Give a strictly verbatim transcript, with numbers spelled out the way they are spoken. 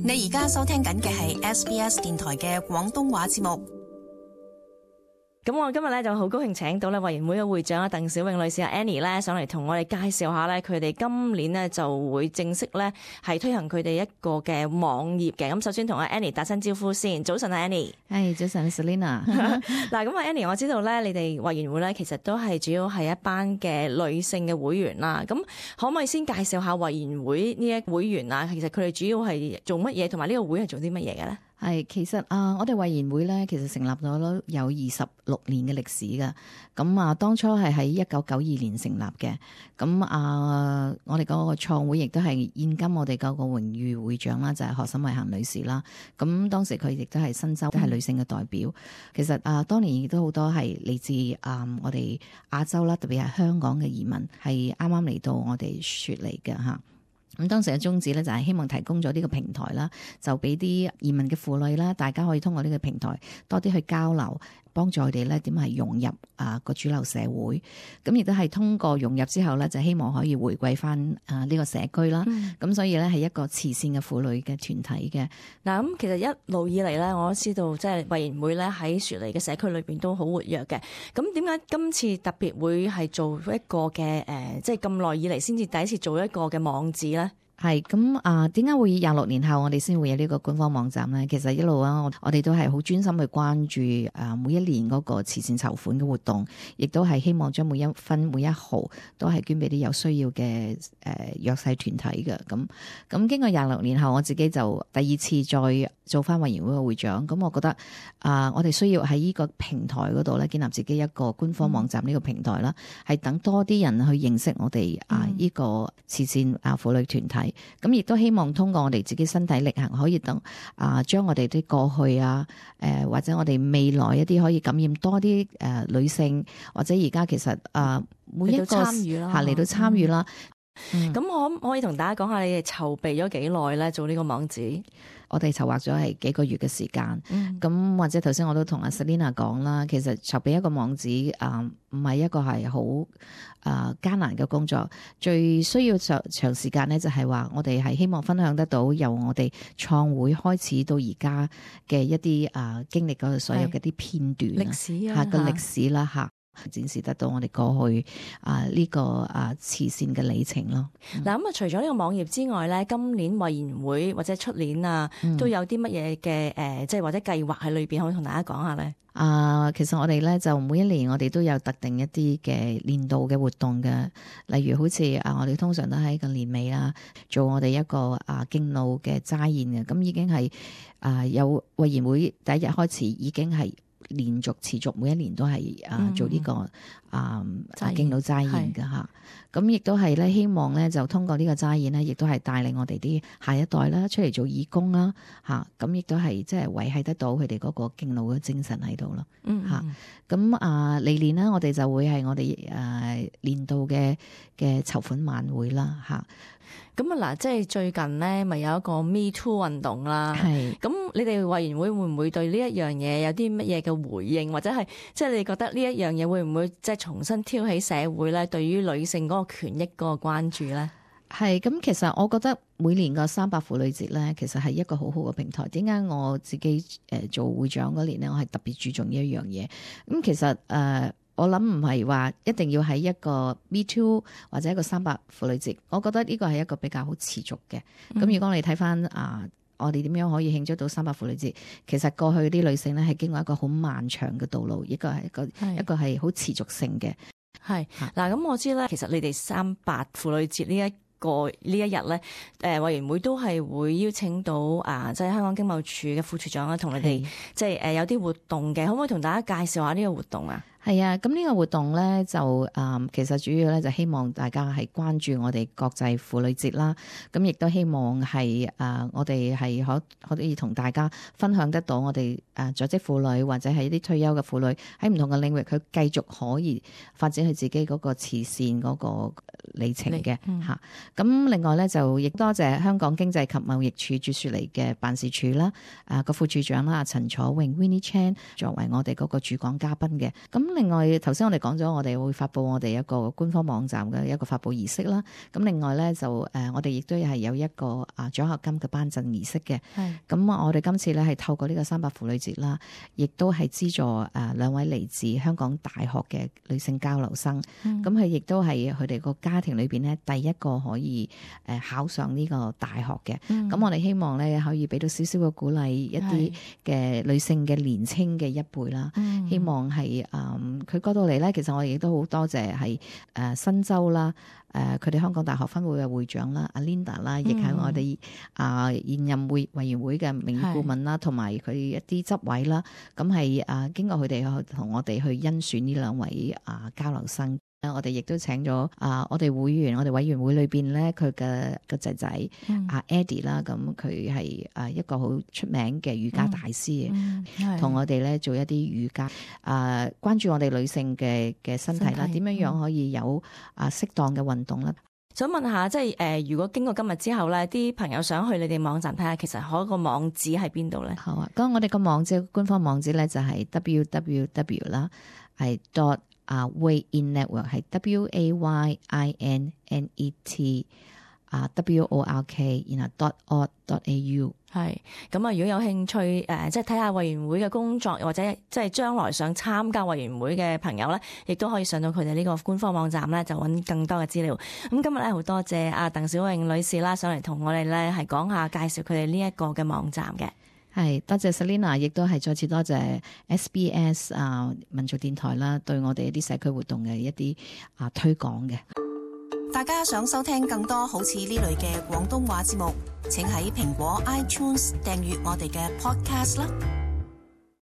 你而家收聽緊嘅係 S B S 電台嘅廣東話節目。咁我今日咧就好高興請到咧委員會嘅會長啊鄧小穎女士啊 Annie 咧上嚟同我哋介紹下咧佢哋今年咧就會正式咧係推行佢哋一個嘅網頁嘅。咁首先同阿 Annie 打聲招呼先。早晨啊 Annie。係早晨 Selina。嗱咁啊 Annie， 我知道咧你哋委員會咧其實都係主要係一班嘅女性嘅會員啦。咁可唔可以先介紹下委員會呢一會員啊？其實佢哋主要係做乜嘢，同埋呢個會係做啲乜嘢嘅咧？係，其實啊，我哋委員會咧，其實成立咗有二十六年嘅歷史㗎。咁啊，當初係喺一九九二年成立嘅。咁啊，我哋嗰個創會亦都係現今我哋嗰個榮譽會長啦，就係何沈慧嫻女士啦。咁當時佢亦都係新州，都係女性嘅代表。嗯、其實啊，當年亦都好多係嚟自啊我哋亞洲啦，特別係香港嘅移民，係啱啱嚟到我哋雪梨嘅嚇。咁當時嘅宗旨咧就係希望提供咗呢個平台啦，就俾啲移民嘅婦女啦，大家可以通過呢個平台多啲去交流，幫助佢哋咧點係融入啊個主流社會。咁亦都係通過融入之後咧，就希望可以回歸翻啊呢個社區啦。咁、嗯、所以咧係一個慈善嘅婦女嘅團體嘅。嗱咁其實一路以嚟咧，我都知道即係委員會咧喺雪梨嘅社區裏邊都好活躍嘅。咁點解今次特別會係做一個嘅誒，即係咁耐以嚟先至第一次做一個嘅網址咧？係咁啊，點解會廿六年後我哋先會有呢個官方網站咧？其實一路啊，我我哋都係好專心去關注啊每一年嗰個慈善籌款嘅活動，亦都係希望將每一分每一毫都係捐俾啲有需要嘅誒、呃、弱勢團體嘅。咁咁經過廿六年後，我自己就第二次再做翻委員會嘅會長。咁我覺得啊、呃，我哋需要喺呢個平台嗰度咧建立自己一個官方網站呢個平台啦，係、嗯、等多啲人去認識我哋啊呢個慈善啊婦女團體。咁亦都希望通過我哋自己身體力行，可以等啊，將我哋啲過去啊，誒、呃、或者我哋未來一啲可以感染多啲誒、呃、女性，或者而家其實啊、呃、每一個參與啦，嚟到參與啦。咁我可唔可以同大家講下你哋籌備咗幾耐咧？做呢個網址？我哋籌劃咗係幾個月嘅時間，咁、嗯、或者頭先我都同阿 Selina 講啦，其實籌備一個網址啊，唔、呃、係一個係好啊艱難嘅工作，最需要長長時間咧就係話我哋係希望分享得到由我哋創會開始到而家嘅一啲啊、呃、經歷嗰所有嘅啲片段歷史啊，嚇個歷史啦嚇。展示得到我哋過去啊呢、這個啊慈善嘅里程咯。嗱咁啊，除咗呢個網頁之外咧，今年委員會或者出年啊，嗯、都有啲乜嘢嘅誒，即係或者計劃喺裏邊，可以同大家講下咧。啊，其實我哋咧就每一年我哋都有特定一啲嘅年度嘅活動嘅，例如好似啊，我哋通常都喺個年尾啦，做我哋一個啊敬老嘅齋宴嘅，咁已經係啊有委員會第一日開始已經係。連續持續每一年都係啊做呢、這個、嗯、啊敬老齋宴嘅嚇，咁亦都係咧希望咧就通過呢個齋宴咧，亦都係帶領我哋啲下一代啦出嚟做義工啦嚇，咁亦都係即係維繫得到佢哋嗰個敬老嘅精神喺度咯嚇。咁啊嚟年呢，我哋就會係我哋誒、啊、年度嘅嘅籌款晚會啦嚇。咁啊嗱，即係最近咧，咪有一個 Me Too 運動啦。係。咁你哋委員會會唔會對呢一樣嘢有啲乜嘢嘅回應，或者係即係你覺得呢一樣嘢會唔會即係重新挑起社會咧對於女性嗰個權益嗰個關注咧？係。咁其實我覺得每年個三八婦女節咧，其實係一個好好嘅平台。點解我自己誒做會長嗰年咧，我係特別注重呢一樣嘢。咁其實誒。呃我諗唔係話一定要喺一個 Me Too 或者一個三八婦女節，我覺得呢個係一個比較好持續嘅。咁、嗯、如果你睇翻啊，我哋點樣可以慶祝到三八婦女節？其實過去啲女性咧係經過一個好漫長嘅道路，一個係一個一個係好持續性嘅。係嗱，咁我知咧，其實你哋三八婦女節呢一個呢一日咧，誒委員會都係會邀請到啊，即係香港經貿處嘅副處長啊，同你哋即係誒有啲活動嘅，可唔可以同大家介紹下呢個活動啊？係啊，咁呢個活動咧就誒、嗯，其實主要咧就希望大家係關注我哋國際婦女節啦。咁亦都希望係誒、呃，我哋係可可以同大家分享得到我哋誒在職婦女或者係一啲退休嘅婦女喺唔同嘅領域，佢繼續可以發展佢自己嗰個慈善嗰個里程嘅嚇。咁、嗯、另外咧就亦多謝香港經濟及貿易處駐雪梨嘅辦事處啦，啊個副處長啦陳楚穎 Winnie Chan 作為我哋嗰個駐港嘉賓嘅。咁咁另外頭先我哋講咗，我哋會發布我哋一個官方網站嘅一個發布儀式啦。咁另外咧就誒、呃，我哋亦都係有一個啊獎學金嘅頒贈儀式嘅。係。咁我哋今次咧係透過呢個三八婦女節啦，亦都係資助誒兩位嚟自香港大學嘅女性交流生。咁佢亦都係佢哋個家庭裏邊咧第一個可以誒考上呢個大學嘅。咁、嗯、我哋希望咧可以俾到少少嘅鼓勵一啲嘅女性嘅年青嘅一輩啦。希望係誒佢嗰度嚟咧，其實我哋亦都好多謝係誒新州啦，誒佢哋香港大學分會嘅會長啦，阿 Linda 啦，亦係我哋啊現任會委員會嘅名譽顧問啦，同埋佢一啲執委啦，咁係啊經過佢哋同我哋去甄選呢兩位啊交流生。我哋亦都請咗啊，我哋會員，我哋委員會裏邊咧，佢嘅個仔仔阿 Eddie 啦，咁佢係啊一個好出名嘅瑜伽大師，同、嗯嗯、我哋咧做一啲瑜伽啊，關注我哋女性嘅嘅身體啦，點樣樣可以有啊適當嘅運動啦。想問下，即係誒、呃，如果經過今日之後咧，啲朋友想去你哋網站睇下，其實嗰個網址喺邊度咧？好啊，咁我哋個網址官方網址咧就係 w w w 啦，係 dot 啊 Way In Network 係 W A Y I N N E T 啊 W O R K 然後 dot org dot A U 係咁啊！如果有興趣誒、呃，即係睇下委員會嘅工作，或者即係將來想參加委員會嘅朋友咧，亦都可以上到佢哋呢個官方網站咧，就揾更多嘅資料。咁今日咧好多謝阿鄧小穎女士啦，上嚟同我哋咧係講下介紹佢哋呢一個嘅網站嘅。係多謝 Selina， 亦都係再次多謝 S B S 啊民族電台啦，對我哋一啲社區活動嘅一啲啊推廣嘅。大家想收聽更多好似呢類嘅廣東話節目，請喺蘋果 iTunes 訂閱我哋嘅 Podcast 啦。